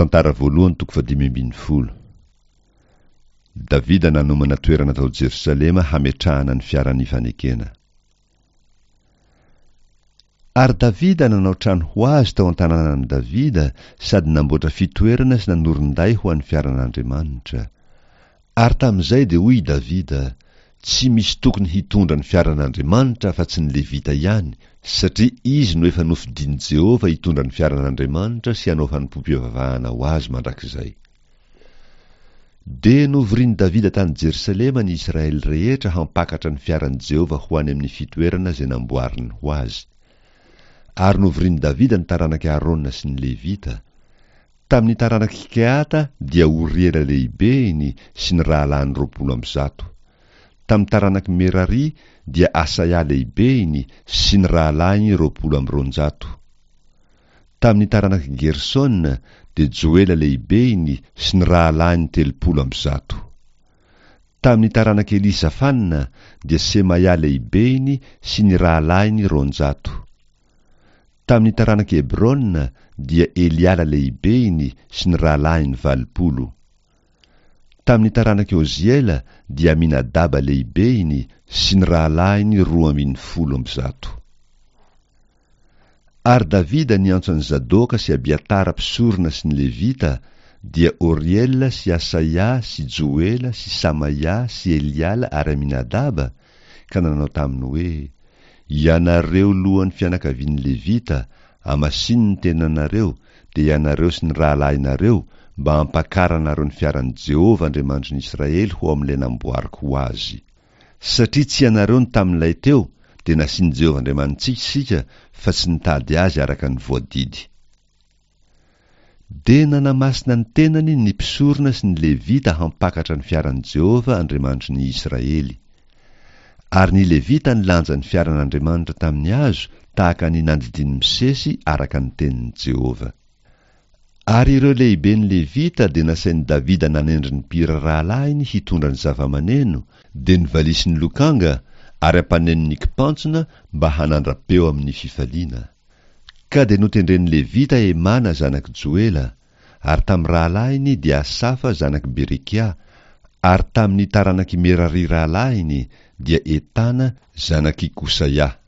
Tantara voalohany toko fahadimy ambin'ny folo. Davida nanomana toerana tao Jerosalema hametrahana ny fiaran'ny fanekena. Ary Davida nanao trano ho azy tao an-tanànan'i Davida sady namboatra fitoerana sy nanorin-day ho an'ny fiaran'Andriamanitra. Ary tamin'izay dia hoy i Davida, Tsy misy tokony hitondra ny fiaran'Andriamanitra afa-tsy ny Levita ihany, satria izy no efa nofidin'i Jehovah hitondra ny fiaran'Andriamanitra sy hanao fanompoam-pivavahana ho azy mandrakizay. Dia novorin'i Davida tany Jerosalema ny Israely rehetra hampakatra ny fiaran'i Jehovah ho any amin'ny fitoerana izay namboariny ho azy. Ary novorin'i Davida ny taranak'i Arona sy ny Levita. Tamin'ny taranak'i Kehata dia Oriela lehibehiny sy ny rahalahiny 120. Tamin'ny taranak'i Merari dia Asaia lehibehiny sy ny rahalahiny 220. Tamin'ny taranak'i Gersona dia Joela lehibehiny sy ny rahalahiny 130. Tamin'ny taranak'i Elisafana dia Semaia lehibehiny sy ny rahalahiny 200. Tamin'ny taranak'i Hebrona dia Eliala lehibehiny sy ny rahalahiny 80. Tamin'ny taranak'i Oziela dia Aminadaba lehibehiny sy ny rahalahiny 112. Ary Davida niantso an'i Zadoka sy Abiatara mpisorona sy ny Levita, dia Oriela sy Asaia sy Joela sy Samaia sy Eliala ary Aminadaba, ka nanao taminy hoe, Ianareo lohan'ny fianakavian'ny Levita, amasino ny tenanareo, dia ianareo sy ny rahalahinareo, mba hampakaranareo ny fiaran'i Jehovah Andriamanitry ny Israely ho ao amin'ilay namboariko ho azy. Satria tsy ianareo no tamin'ilay teo, dia nasian'i Jehovah Andriamanitsika isika fa tsy nitady azy araka ny voadidy. Dia nanamasina ny tenany ny mpisorona sy ny Levita hampakatra ny fiaran'i Jehovah Andriamanitry ny Israely. Ary ny Levita nilanja ny fiaran'Andriamanitra tamin'ny hazo tahaka ny nandidian'i Mosesy araka ny tenin'i Jehovah. Ary ireo lehiben'ny Levita dia nasain'i Davida nanendry ny mpihira rahalahiny hitondra ny zavamaneno, dia ny valiha sy ny lokanga ary ampaneno ny kipantsona mba hanandra-peo amin'ny fifaliana. Ka dia notendren'ny Levita Hemana zanak'i Joela, ary tamin'ny rahalahiny dia Asafa zanak'i Berekia, ary tamin'ny taranak'i Merari rahalahiny dia Etana zanak'i Kosaia.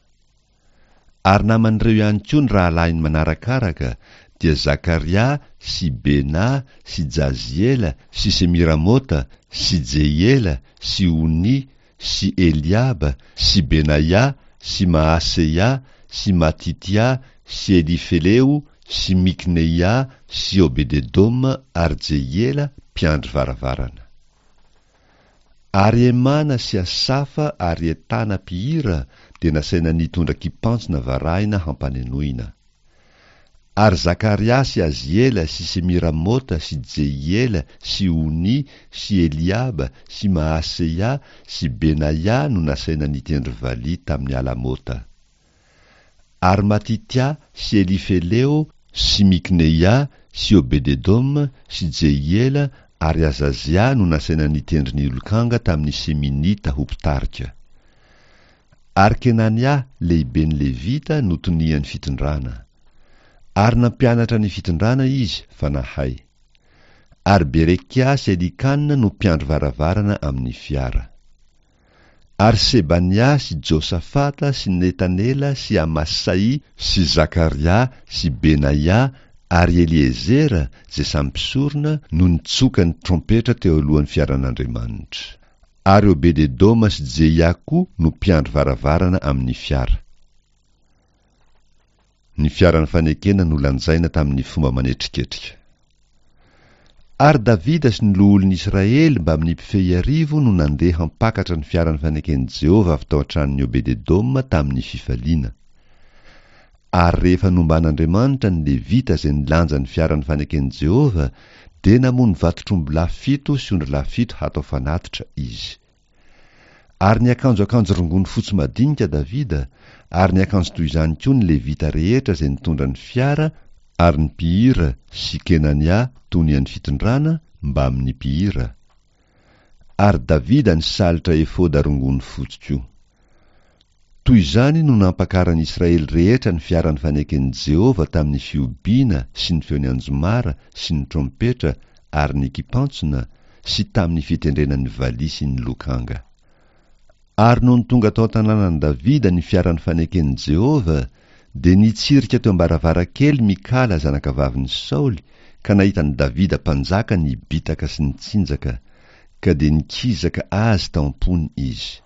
Ary naman'ireo ihany koa ny rahalahiny manarakaraka, dia Zakaria sy Bena sy Jaziela sy Semiramota sy Jehiela sy Oni sy Eliaba sy Benaia sy Maaseia sy Matitia sy Elifeleo sy Mikneia sy Obededoma ary Jehiela mpiandry varavarana. Ary Hemana sy Asafa ary Etana mpihira dia nasaina nitondra kipantsona varahina hampanenoina. Ary Zakaria sy Aziela sy Semiramota sy Jehiela sy Oni sy Eliaba sy Maaseia sy Benaia no nasaina nitendry valiha tamin'ny alamota. Ary Matitia sy Elifeleo sy Mikneia sy Obededoma sy Jehiela ary Azazia no nasaina nitendry ny lokanga tamin'ny Seminita ho mpitarika. Ary Kenania, lehiben'ny Levita, no tonian'ny fitondrana. Ary nampianatra ny fitondrana izy, fa nahay. Ary Berekia sy Elikana no mpiandry varavarana amin'ny fiara. Ary Sebania sy Josafata sy Netanela sy Amasai sy Zakaria sy Benaia ary Eliezera, izay samy mpisorona, no nitsoka ny trompetra teo alohan'ny fiaran'Andriamanitra. Ary Obed-edoma sy Jeia koa no mpiandry varavarana amin'ny fiara. Ny fiaran'ny fanekena nolanjaina tamin'ny fomba manetriketrika. Ary Davida sy ny loholon'ny Israely mbamin'ny mpifehy arivo no nandeha hampakatra ny fiaran'ny faneken'i Jehovah avy tao an-tranon'i Obed-edoma tamin'ny fifaliana. Ary rehefa nomban'Andriamanitra ny Levita izay nilanja ny fiaran'ny faneken'i Jehovah, dia namono vatotr'ombilahy fito sy ondrilahy fito hatao fanatitra izy. Ary niakanjo akanjo rongony fotsy madinika Davida, ary niakanjo toy izany koa ny Levita rehetra izay nitondra ny fiara, ary ny mpihira sy Kenania tonian'ny fitondrana mbamin'ny mpihira. Ary Davida nisalotra efoda rongony fotsy koa. Toy izany no nampakaran'ny Israely rehetra ny fiaran'ny faneken'i Jehovah tamin'ny fihobiana sy ny feon'ny anjomara sy ny trompetra ary ny kipantsona, sy tamin'ny fitendrena ny valiha sy ny lokanga. Ary nony tonga tao an-tanànan'i Davida ny fiaran'ny faneken'i Jehovah, dia nitsirika teo am-baravarankely Mikala zanakavavin'i Saoly ka nahita an'i Davida mpanjaka nibitaka sy nitsinjaka, ka dia nikizaka azy tao am-pony izy.